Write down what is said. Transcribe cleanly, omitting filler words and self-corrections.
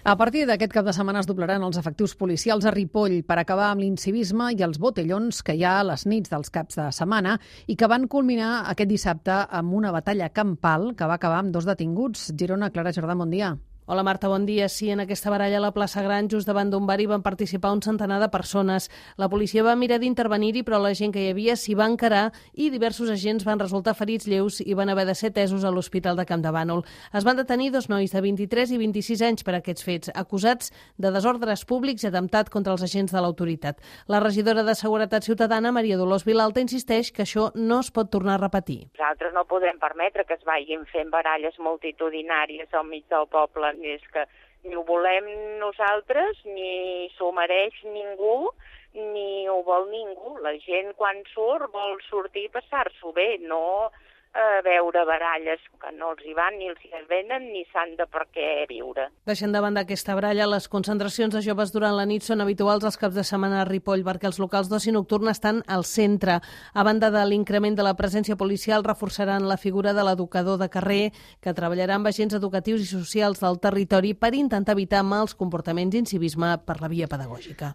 A partir d'aquest cap de setmana es doblaran els efectius policials a Ripoll per acabar amb l'incivisme i els botellons que hi ha a les nits dels caps de setmana i que van culminar aquest dissabte amb una batalla campal que va acabar amb 2 detinguts. Girona, Clara Jordà, bon dia. Hola Marta, bon dia. Sí, en aquesta baralla a la plaça Gran, just davant d'un bar, hi van participar un centenar de persones. La policia va mirar d'intervenir-hi, però la gent que hi havia s'hi va encarar i diversos agents van resultar ferits lleus i van haver de ser atesos a l'Hospital de Campdevànol. Es van detenir 2 nois de 23 i 26 anys per aquests fets, acusats de desordres públics i atemptat contra els agents de l'autoritat. La regidora de Seguretat Ciutadana, Maria Dolors Vilalta, insisteix que això no es pot tornar a repetir. Nosaltres no podem permetre que es vagin fent baralles multitudinàries al mig del poble. És que ni ho volem nosaltres, ni s'ho mereix ningú, ni ho vol ningú. La gent quan surt vol sortir i passar-s'ho bé, no veure baralles que no els hi van ni els hi venen ni s'han de per què viure. Deixant de banda aquesta baralla, les concentracions de joves durant la nit són habituals als caps de setmana a Ripoll perquè els locals d'oci nocturn estan al centre. A banda de l'increment de la presència policial, reforçaran la figura de l'educador de carrer que treballarà amb agents educatius i socials del territori per intentar evitar mals comportaments i incivisme per la via pedagògica.